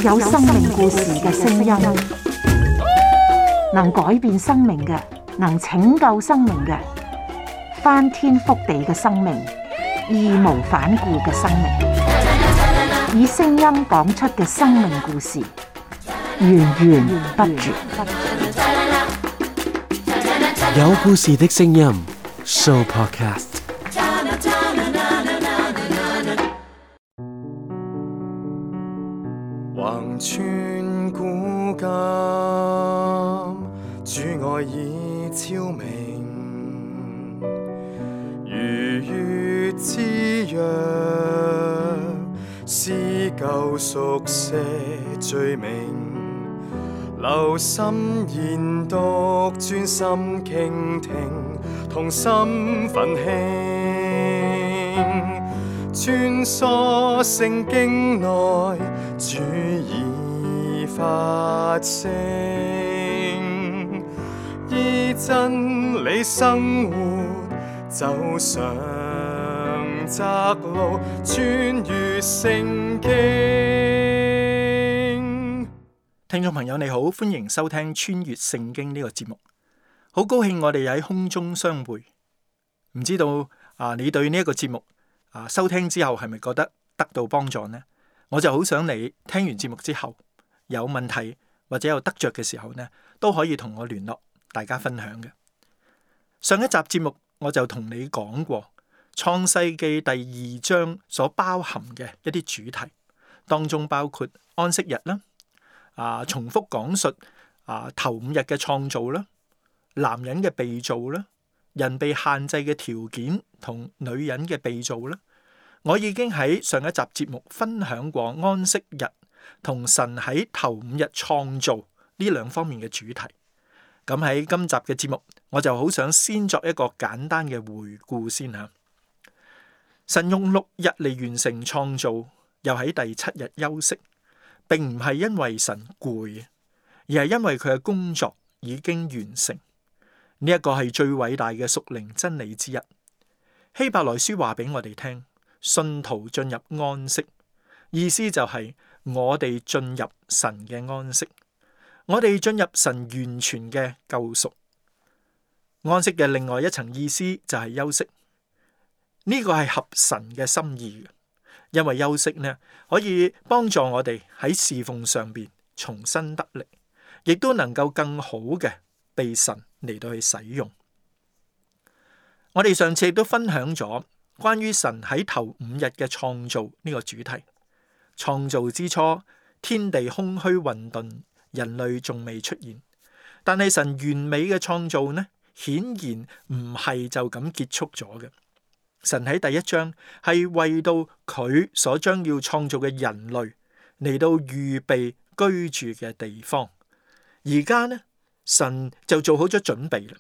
有生命故事嘅聲音，能改變生命嘅，能拯救生命嘅，翻天覆地嘅生命，義無反顧嘅生命，以聲音講出嘅生命故事，源源不絕。有故事的聲音 Show Podcast。橫穿古今，主愛已超明，如月之約，撕舊熟寫罪名，留心研讀，專心傾聽，同心奮興，穿梭聖經內，主已發聲，依真理生活，走上窄路，穿越聖經。聽眾朋友你好，歡迎收聽穿越聖經呢個節目。好高興我哋喺空中相會。唔知道你對呢一個節目收聽之後係咪覺得得到幫助呢？我就好想你聽完節目之後有問題或者有得着嘅時候呢，都可以同我聯絡，大家分享嘅。上一集節目我就同你講過創世記第2章所包含嘅一啲主題，當中包括安息日啦，重複講述頭5日嘅創造啦，男人嘅被造啦，人被限制嘅條件同女人嘅被造啦。我已經喺上一集節目分享過安息日同神喺頭5日創造呢2方面嘅主題。咁喺今集嘅節目，我就好想先作一個簡單嘅回顧先吓。神用6日嚟完成創造，又喺第7日休息，並唔係因為神攰，而係因為佢嘅工作已經完成。呢一個係最偉大嘅屬靈真理之一。希伯來書話俾我哋聽，信徒進入安息，意思就係我哋進入神嘅安息，我哋進入神完全嘅救贖。安息嘅另外一層意思就係休息，呢個係合神嘅心意嘅，因為休息呢可以幫助我哋喺侍奉上邊重新得力，亦都能夠更好嘅被神嚟到去使用。我哋上次亦都分享咗關於神喺頭5日嘅創造呢個主題。創造之初，天地空虛混沌，人類仲未出現。但係神完美嘅創造呢，顯然唔係就咁結束咗嘅。神喺第1章係為到佢所將要創造嘅人類嚟到預備居住嘅地方。而家呢，神就做好咗準備啦，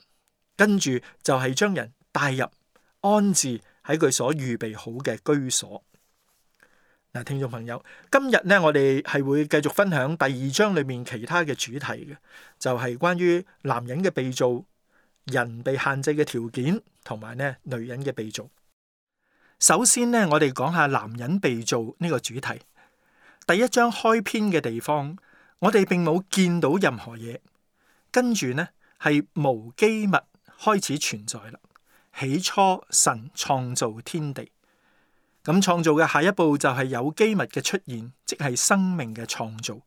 跟住就係將人帶入安置喺佢所預備好嘅居所。嗱，聽眾朋友，今日呢，我哋係會繼續分享第2章裏面其他嘅主題嘅，就係關於男人嘅被造、人被限制嘅條件，同埋呢女人嘅被造。首先呢，我哋講下男人被造呢個主題。第1章開篇嘅地方，我哋並冇見到任何嘢，跟住呢係無機物開始存在啦。起初神創造天地，咁創造嘅下一步就係有機物嘅出現，即係生命嘅創造。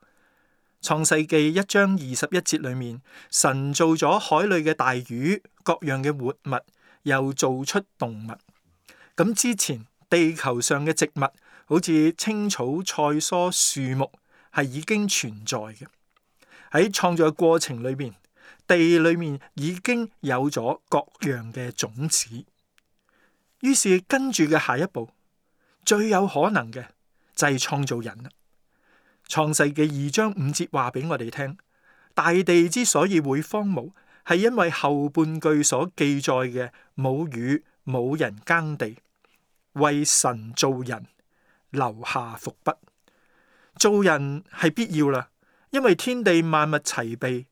創世記1章21節裏面，神造咗海裏嘅大魚，各樣嘅活物，又造出動物。咁之前地球上嘅植物，好似青草、菜蔬、樹木，係已經存在嘅。喺創造嘅過程裏邊，地裏面已經有咗各樣嘅種子。於是跟住嘅下一步，最有可能嘅就係創造人啦。創世記2章5節話俾我哋聽，大地之所以會荒蕪，係因為後半句所記載嘅冇雨冇人耕地，為神造人留下伏筆。造人係必要啦，因為天地萬物齊備，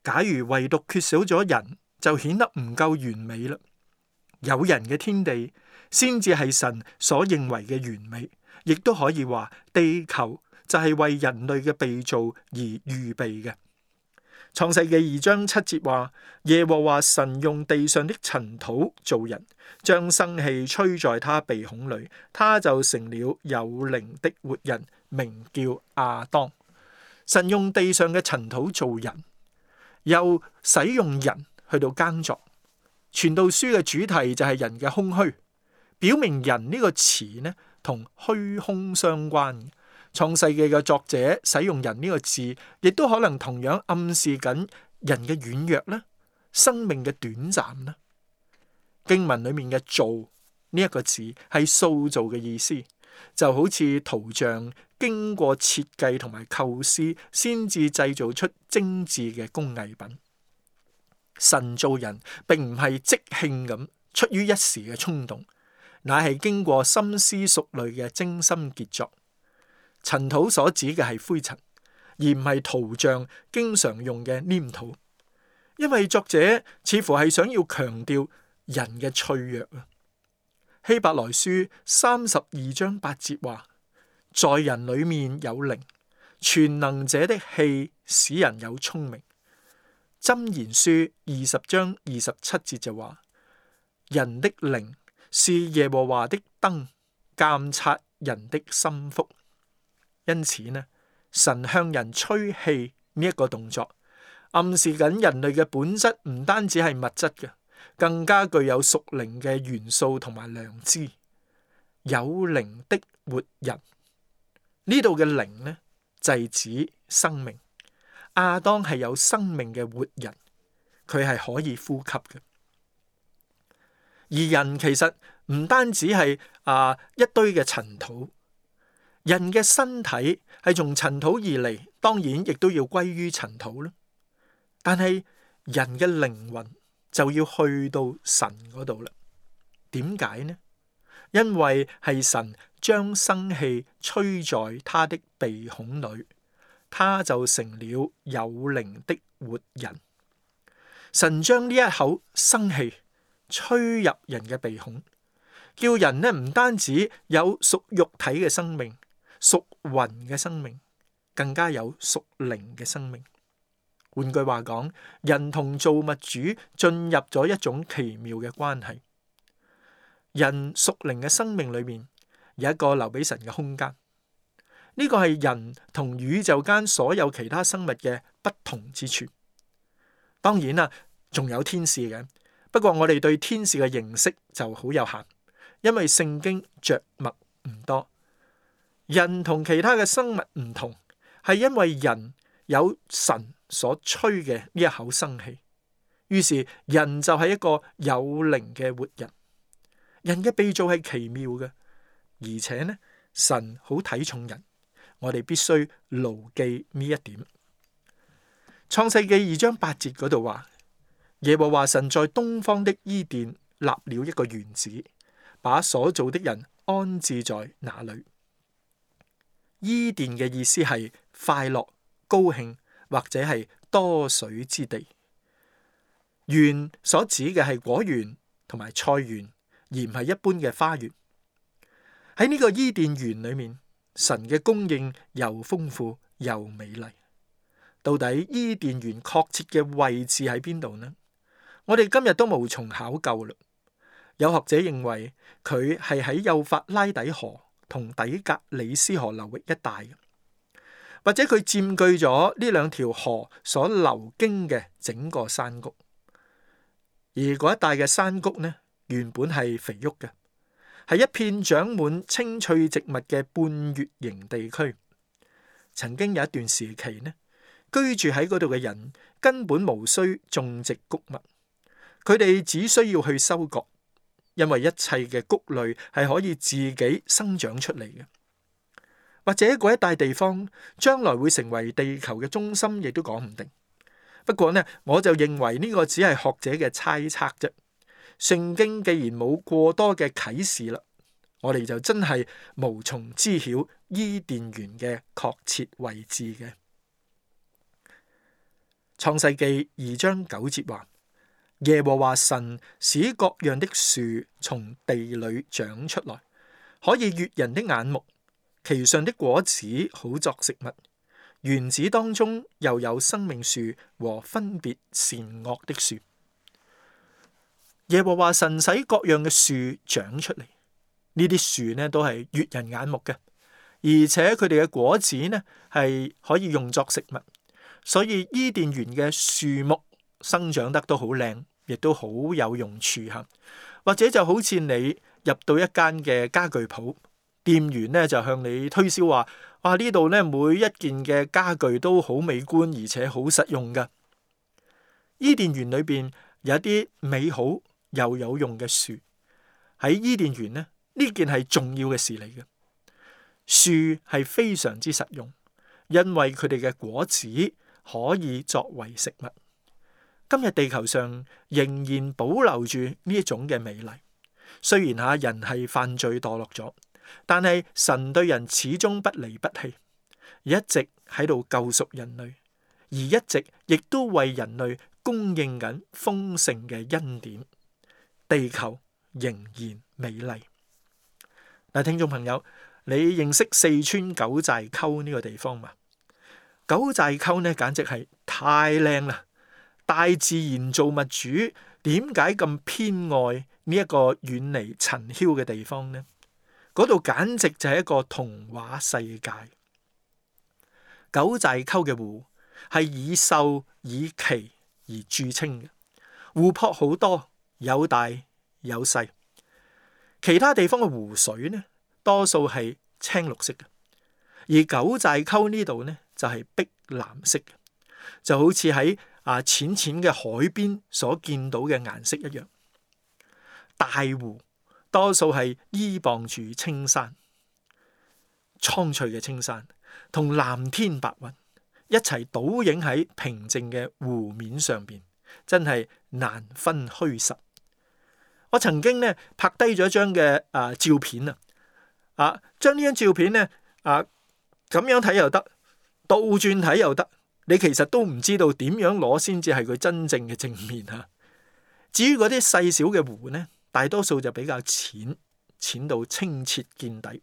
假如唯獨缺少咗人，就顯得唔夠完美啦。有人嘅天地先至係神所認為嘅完美，亦都可以話地球就係為人類嘅被造而預備嘅。創世記2章7節話：耶和華神用地上的塵土造人，將生氣吹在他鼻孔裏，他就成了有靈的活人，名叫亞當。神用地上嘅塵土造人，又使用人去到耕作。傳道書嘅主題就係人嘅空虛，表明人呢個詞呢同虛空相關。創世記嘅作者使用人呢個字，亦都可能同樣暗示緊人嘅軟弱啦、生命嘅短暫啦。經文裏面嘅造呢一個字係塑造嘅意思，就好似圖像經過設計同埋構思，先至製造出精緻嘅工藝品。神造人並唔係即興咁出於一時嘅衝動，乃係經過深思熟慮嘅精心傑作。塵土所指嘅係灰塵，而唔係圖像經常用嘅黏土，因為作者似乎係想要強調人嘅脆弱啊。希伯來書32章8節話：在人裏面有靈，全能者的氣使人有聰明。箴言書20章27節就話：人的靈是耶和華的燈，監察人的心腹。因此呢，神向人吹氣呢一個動作，暗示緊人類嘅本質唔單止係物質嘅，更加具有屬靈嘅元素同埋良知。有靈的活人，呢度嘅靈呢，就係指生命。亞當係有生命嘅活人，佢係可以呼吸嘅。而人其實唔單止係一堆嘅塵土。人嘅身體係從塵土而嚟，當然亦都要歸於塵土啦。但係人嘅靈魂就要去到神嗰度啦。點解呢？因為係神將生氣吹在他的鼻孔裏，他就成了有靈的活人。神將呢一口生氣吹入人嘅鼻孔，叫人呢唔單止有屬肉體嘅生命，屬魂嘅生命，更加有屬靈嘅生命。換句話講，人同造物主進入咗一種奇妙嘅關係。人屬靈嘅生命裏面有一個留俾神嘅空間，呢個係人同宇宙間所有其他生物嘅不同之處。當然啦，仲有天使嘅，不過我哋對天使嘅認識就好有限，因為聖經着墨唔多。人同其他嘅生物唔同，係因為人有神所吹嘅呢一口生氣，於是人就係一個有靈嘅活人。人嘅被造係奇妙嘅，而且呢，神好睇重人，我哋必須牢記呢一點。創世記2章8節嗰度話：耶和華神在東方的伊甸立了一個園子，把所造的人安置在那裏。伊甸嘅意思係快樂、高興或者係多水之地。園所指嘅係果園同埋菜園，而唔係一般嘅花園。喺呢個伊甸園裏面，神嘅供應又豐富又美麗。到底伊甸園確切嘅位置喺邊度呢？我哋今日都無從考究啦。有學者認為佢係喺幼發拉底河同底格里斯河流域一帶嘅，或者佢佔據咗呢兩條河所流經嘅整個山谷。而嗰一帶嘅山谷呢，原本係肥沃嘅，係一片長滿青翠植物嘅半月形地區。曾經有一段時期呢，居住喺嗰度嘅人根本無需種植穀物，佢哋只需要去收割，因為一切嘅穀類係可以自己生長出嚟嘅。或者嗰一帶地方將來會成為地球嘅中心，亦都講唔定。不過呢，我就認為呢個只係學者嘅猜測啫。聖經既然冇過多嘅啟示啦，我哋就真係無從知曉伊甸園嘅確切位置嘅。創世記2章9節話：耶和華神使各樣的樹從地裏長出來，可以悅人的眼目，其上的果子好作食物，園子當中又有生命樹和分別善惡的樹。耶和華神使各樣嘅樹長出嚟，呢啲樹呢都係悅人眼目嘅，而且佢哋嘅果子呢係可以用作食物，所以伊甸園嘅樹木生長得都好靚，亦都好有用處吓。或者就好似你入到一間嘅家具鋪，店員呢就向你推銷話：哇，呢度呢每一件嘅家具都好美觀，而且好實用噶。伊甸園裏邊有一啲美好又有用嘅樹，喺伊甸園呢件係重要嘅事嚟嘅。樹係非常之實用，因為佢哋嘅果子可以作為食物。今日地球上仍然保留住呢一種嘅美麗，雖然人係犯罪墮落咗，但係神對人始終不離不棄，一直喺度救贖人類，而一直亦都為人類供應緊豐盛嘅恩典。地球仍然美麗。嗱，聽眾朋友，你認識四川九寨溝呢個地方嘛？九寨溝呢簡直係太靚啦！大自然造物主點解咁偏愛呢一個遠離塵囂嘅地方呢？嗰度簡直就係一個童話世界。九寨溝嘅湖係以秀以奇而著稱嘅，湖泊好多，有大有細。其他地方嘅湖水呢，多數係青綠色嘅，而九寨溝呢度呢就係碧藍色嘅，就好似喺淺淺嘅海邊所見到嘅顏色一樣。大湖多數係依傍住青山，蒼翠嘅青山同藍天白雲一齊倒影喺平靜嘅湖面上邊，真係難分虛實。我曾經呢拍低咗一張嘅照片將呢張照片呢咁樣睇又得，倒轉睇又得。你其實都唔知道點樣攞先至係佢真正嘅正面吓。至於嗰啲細小嘅湖呢，大多數就比較淺，淺到清澈見底，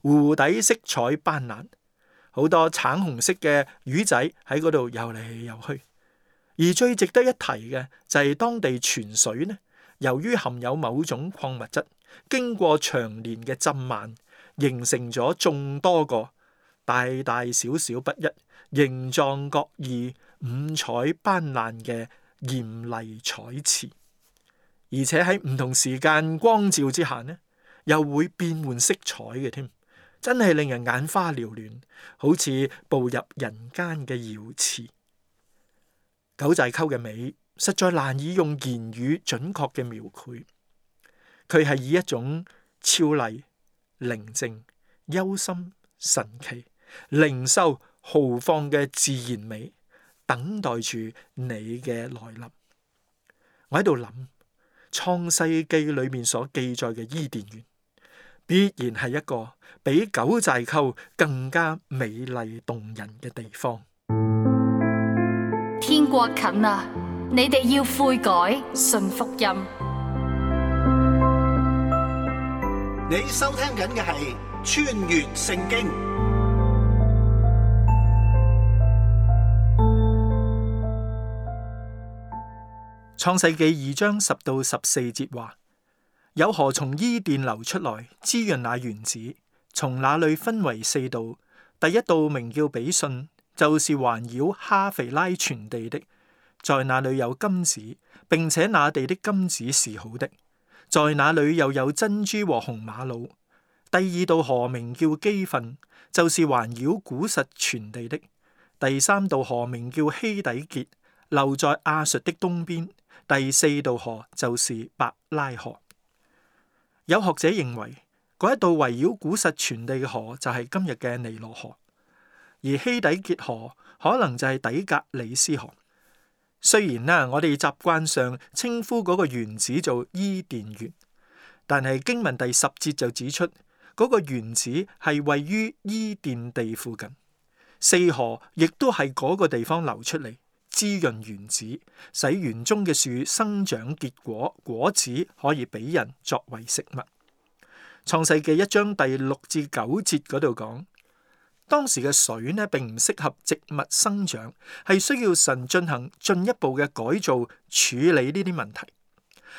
湖底色彩斑斕，好多橙紅色嘅魚仔喺嗰度游嚟游去。而最值得一提嘅就係當地泉水呢，由於含有某種礦物質，經過長年嘅浸漫，形成咗眾多個大大小小不一、形狀各異、五彩斑斕嘅艷麗彩池，而且喺唔同時間光照之下呢，又會變換色彩嘅添，真係令人眼花繚亂，好似步入人間嘅瑤池。九寨溝嘅美實在難以用言語準確嘅描繪，佢係以一種俏麗、寧靜、幽深、神奇、靈修、豪放嘅自然美，等待住你嘅來臨。我喺度諗，創世記裏面所記載嘅伊甸園，必然係一個比九寨溝更加美麗動人嘅地方。天國近啦，你哋要悔改，信福音。你收聽緊嘅係穿越聖經。創世記2章10到14節話：有河從伊甸流出來，滋潤那園子，從那裏分為4道，第一道名叫比遜，就是環繞哈肥拉全地的，在那裏有金子，並且那地的金子是好的，在那裏又有珍珠和紅瑪瑙。第二道河名叫基訓，就是環繞古實全地的。第三道河名叫希底結，流在亞述的東邊。第四道河就是伯拉河。有學者認為，嗰一道圍繞古實全地嘅河就係今日嘅尼羅河，而希底結河可能就係底格里斯河。雖然我哋習慣上稱呼嗰個園子做伊甸園，但係經文第10節就指出，嗰個園子係位於伊甸地附近，4河亦都係嗰個地方流出嚟，滋潤園子，使園中嘅樹生長結果，果子可以俾人作為食物。創世記1章第6至9節嗰度講，當時嘅水呢並唔適合植物生長，係需要神進行進一步嘅改造處理呢啲問題。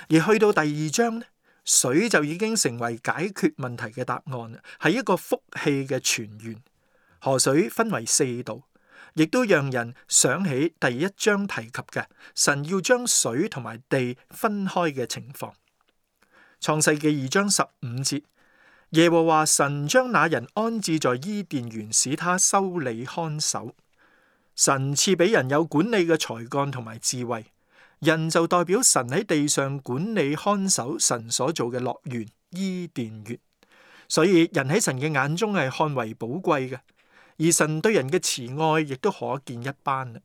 而去到第2章呢，水就已經成為解決問題嘅答案，係一個福氣嘅泉源。河水分為4道，亦都讓人想起第1章提及嘅神要將水同埋地分開嘅情況。創世記2章15節，耶和華神將那人安置在伊甸園，使他修理看守。神賜俾人有管理嘅才幹同埋智慧，人就代表神喺地上管理看守神所做嘅樂園伊甸園。所以人喺神嘅眼中係看為寶貴嘅，而神對人嘅慈愛亦都可見一斑。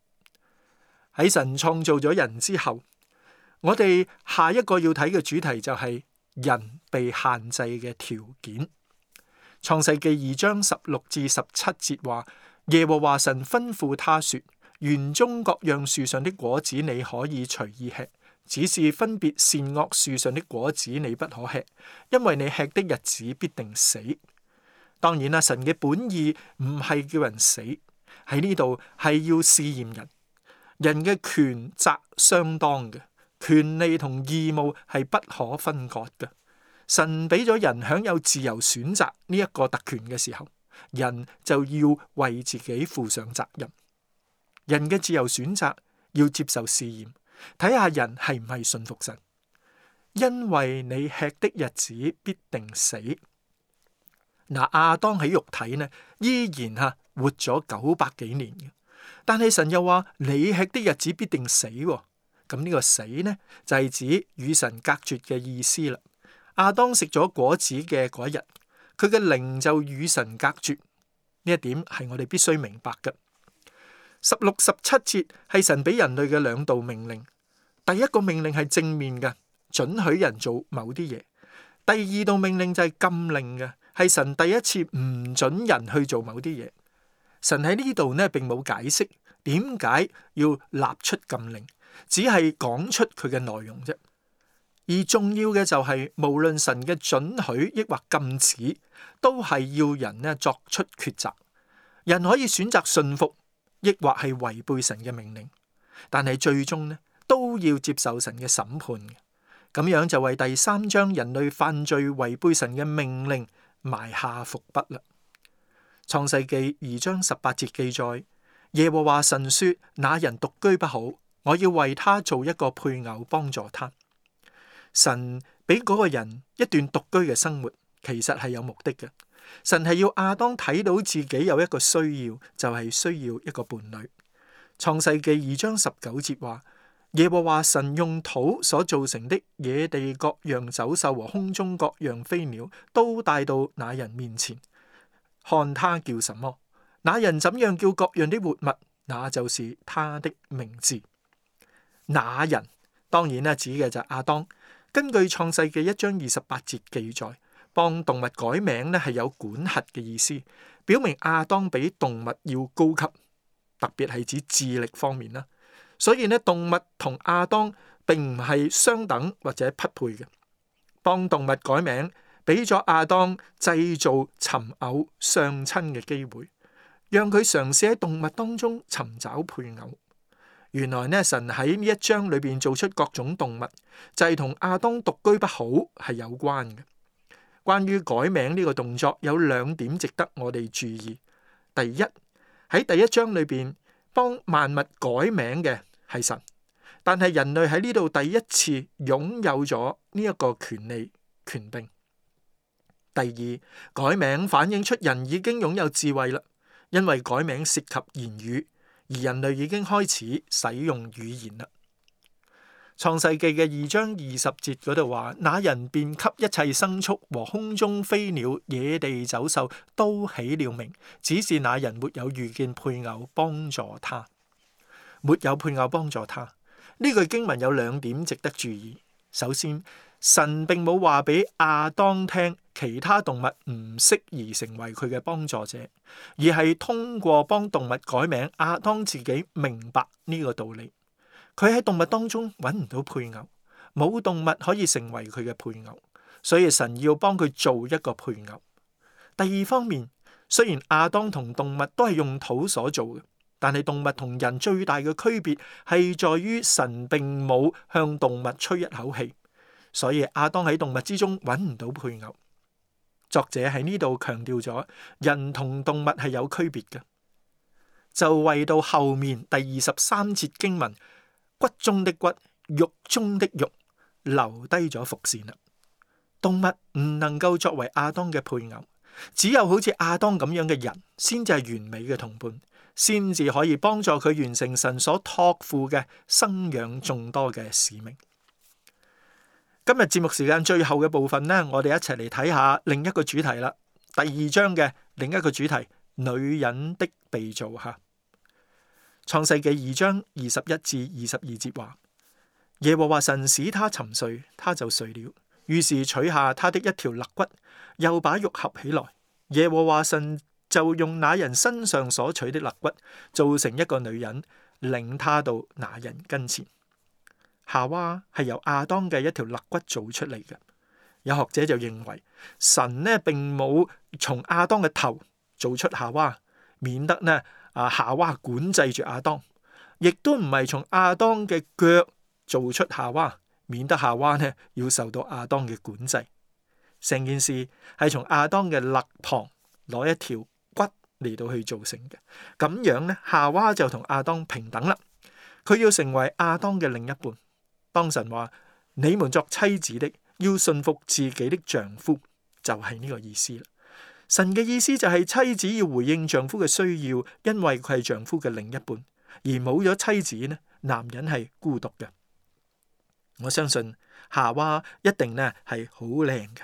喺神創造咗人之後，我哋下一個要睇嘅主題就係人被限制嘅條件。創世記2章16至17節話，耶和華神吩咐他說，園中各樣樹上的果子你可以隨意吃，只是分別善惡樹上的果子你不可吃，因為你吃的日子必定死。當然啦，神嘅本意唔係叫人死，喺呢度係要試驗人。人嘅權責相當嘅，權利同義務係不可分割嘅。神俾咗人享有自由選擇呢一個特權嘅時候，人就要為自己負上責任。人嘅自由選擇要接受試驗，睇下人係唔係信服神。因為你吃的日子必定死。嗱，亞當喺肉體呢依然活咗900幾年嘅，但係神又話你吃的日子必定死。咁呢個死呢就係指與神隔絕嘅意思啦。亞當食咗果子嘅嗰一日，佢嘅靈就與神隔絕。呢一點係我哋必須明白嘅。16、17節係神俾人類嘅2道命令。第一個命令係正面嘅，准許人做某啲嘢。第2道命令就係禁令嘅，係神第一次唔准人去做某啲嘢。神喺呢度呢並冇解釋點解要立出禁令，只係講出佢嘅內容啫。而重要嘅就係，無論神嘅准許抑或禁止，都係要人呢作出抉擇。人可以選擇順服，抑或係違背神嘅命令，但係最終呢都要接受神嘅審判嘅。咁樣就為第3章人類犯罪違背神嘅命令埋下伏筆啦。創世記2章18節記載，耶和華神說：那人獨居不好，我要為他做一個配偶幫助他。神俾嗰個人一段獨居嘅生活，其實係有目的嘅。神係要亞當睇到自己有一個需要，就係需要一個伴侶。創世記2章19節話，耶和華神用土所造成的野地各樣走獸和空中各樣飛鳥，都帶到那人面前，看他叫什麼，那人怎樣叫各樣的活物，那就是他的名字。那人當然指嘅就係亞當。根據創世記1章28節記載，幫動物改名係有管轄嘅意思，表明亞當比動物要高級，特別係指智力方面啦。所以動物同亞當並唔係相等或者匹配嘅。幫動物改名，俾咗亞當製造尋偶相親嘅機會，讓佢嘗試喺動物當中尋找配偶。原來神喺呢1章裏邊做出各種動物，就係同亞當獨居不好係有關嘅。關於改名呢個動作，有2點值得我哋注意。第一，喺第1章裏邊幫萬物改名嘅係神，但係人類喺呢度第一次擁有咗呢一個權利權柄。第二，改名反映出人已經擁有智慧啦，因為改名涉及言語。而人類已經開始使用語言啦。創世記嘅2章20節嗰度話，那人便給一切牲畜和空中飛鳥、野地走獸都起了名，只是那人沒有遇見配偶幫助他。沒有配偶幫助他，呢句經文有2點值得注意。首先，神並冇話俾亞當聽其他動物唔適宜成為佢嘅幫助者，而係通過幫動物改名，亞當自己明白呢個道理。佢喺動物當中揾唔到配偶，冇動物可以成為佢嘅配偶，所以神要幫佢做一個配偶。第二方面，雖然亞當同動物都係用土所做嘅，但係動物同人最大嘅區別係在於神並冇向動物吹一口氣，所以亞當喺動物之中揾唔到配偶。作者喺呢度強調咗人同動物係有區別嘅，就為到後面第23節經文骨中的骨、肉中的肉留低咗伏線啦。動物唔能夠作為亞當嘅配偶，只有好似亞當咁樣嘅人先至係完美嘅同伴，先至可以幫助佢完成神所託付嘅生養眾多嘅使命。今日節目時間最後嘅部分呢，我哋一齊嚟睇下另一個主題啦。第2章嘅另一個主題，女人的被造下。創世記2章21至22節話：耶和華神使他沉睡，他就睡了。於是取下他的一條肋骨，又把肉合起來。耶和華神就用那人身上所取的肋骨，造成一個女人，領他到那人跟前。夏娃係由亞當嘅一條肋骨做出嚟嘅。有學者就認為神呢並冇從亞當嘅頭做出夏娃，免得呢夏娃管制住亞當，亦都唔係從亞當嘅腳做出夏娃，免得夏娃呢要受到亞當嘅管制。成件事係從亞當嘅肋旁攞一條骨嚟到去造成嘅。咁樣呢，夏娃就同亞當平等啦。佢要成為亞當嘅另一半。當神話你們作妻子的要順服自己的丈夫，就係呢個意思啦。神嘅意思就係妻子要回應丈夫嘅需要，因為佢係丈夫嘅另一半，而冇咗妻子呢，男人係孤獨嘅。我相信夏娃一定呢係好靚嘅。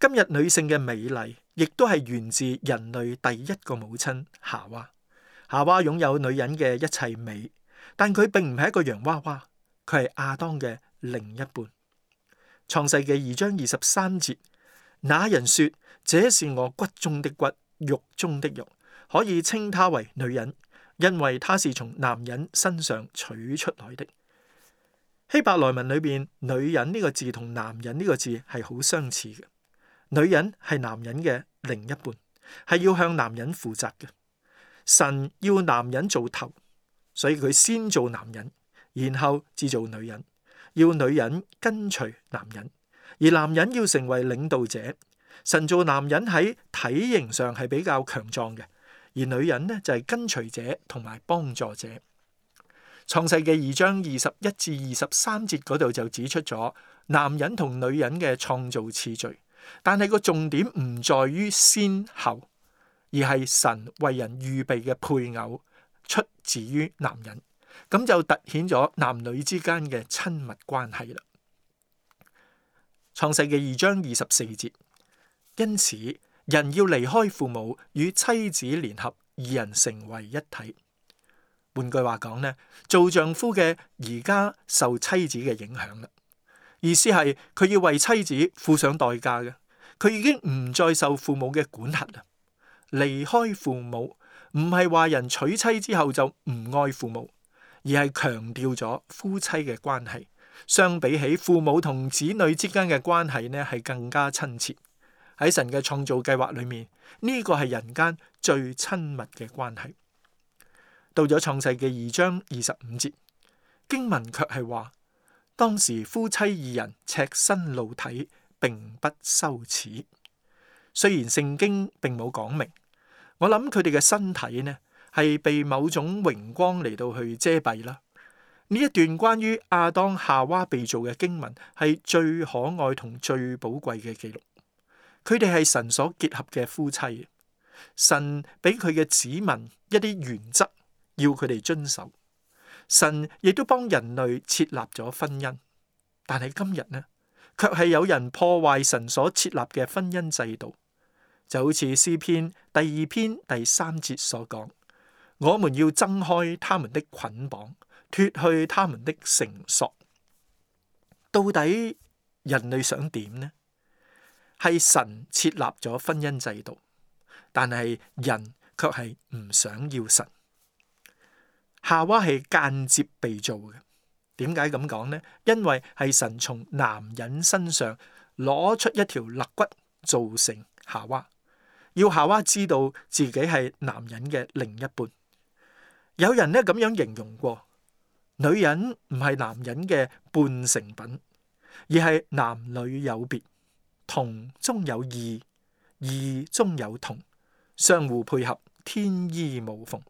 今日女性嘅美麗，亦都係源自人類第一個母親夏娃。夏娃擁有女人嘅一切美，但佢並唔係一個洋娃娃。佢係亞當嘅另一半。創世記2章23節，那人說：這是我骨中的骨，肉中的肉，可以稱她為女人，因為她是從男人身上取出來的。希伯來文裏邊，女人呢個字同男人呢個字係好相似嘅。女人係男人嘅另一半，係要向男人負責嘅。神要男人做頭，所以佢先做男人，然後至做女人，要女人跟隨男人，而男人要成為領導者。神做男人喺體型上係比較強壯嘅，而女人呢就係跟隨者同埋幫助者。創世記2章21至23節嗰度就指出咗男人同女人嘅創造次序，但係個重點唔在於先後，而係神為人預備嘅配偶出自於男人。咁就凸顯咗男女之間嘅親密關係啦。創世記2章24節，因此人要離開父母，與妻子聯合，二人成為一體。換句話講呢，做丈夫嘅而家受妻子嘅影響啦。意思係佢要為妻子付上代價嘅，佢已經唔再受父母嘅管轄啦。離開父母唔係話人娶妻之後就唔愛父母，而係強調咗夫妻嘅關係，相比起父母同子女之間嘅關係呢，係更加親切。喺神嘅創造計劃裏面，呢個係人間最親密嘅關係。到咗創世記2章25節，經文卻係話，當時夫妻二人赤身露體，並不羞恥。雖然聖經並冇講明，我諗佢哋嘅身體呢係被某種榮光嚟到去遮蔽啦。呢一段關於亞當夏娃被造嘅經文係最可愛同最寶貴嘅記錄。佢哋係神所結合嘅夫妻，神俾佢嘅子民一啲原則，要佢哋遵守。神亦都幫人類設立咗婚姻，但係今日呢，卻係有人破壞神所設立嘅婚姻制度。就好似詩篇第2篇第3節所講，我們要掙開他們的捆綁，脫去他們的繩索。到底人類想點呢？係神設立咗婚姻制度，但係人卻係唔想要神。夏娃係間接被造嘅，點解咁講呢？因為係神從男人身上攞出一條肋骨做成夏娃，要夏娃知道自己係男人嘅另一半。有人呢咁樣形容過，女人唔係男人嘅半成品，而係男女有別，同中有異，異中有同，相互配合，天衣無縫。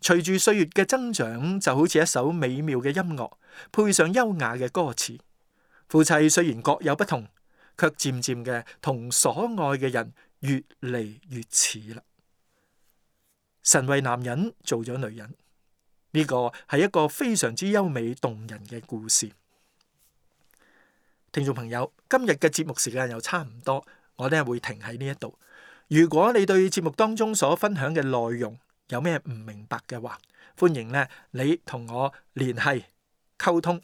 隨住歲月嘅增長，就好似一首美妙嘅音樂，配上優雅嘅歌詞。夫妻雖然各有不同，卻漸漸嘅同所愛嘅人越嚟越似啦。神為男人做咗女人，呢個係一個非常之優美動人嘅故事。聽眾朋友，今日嘅節目時間又差唔多，我哋會停喺呢一度。如果你對節目當中所分享嘅內容有咩唔明白嘅話，歡迎咧你同我聯繫溝通，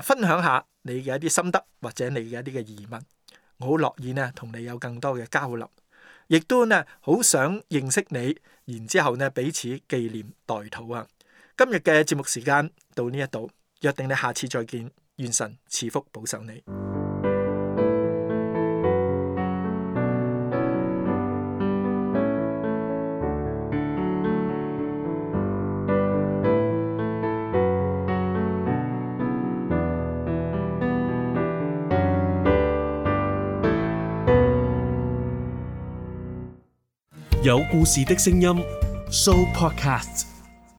分享下你嘅一啲心得或者你嘅一啲嘅疑問，我好樂意呢同你有更多嘅交流，亦都呢好想認識你，然之後呢彼此紀念代禱啊！今日嘅節目時間到呢一度，約定你下次再見，願神賜福保守你。有故事的聲音 Show Podcast。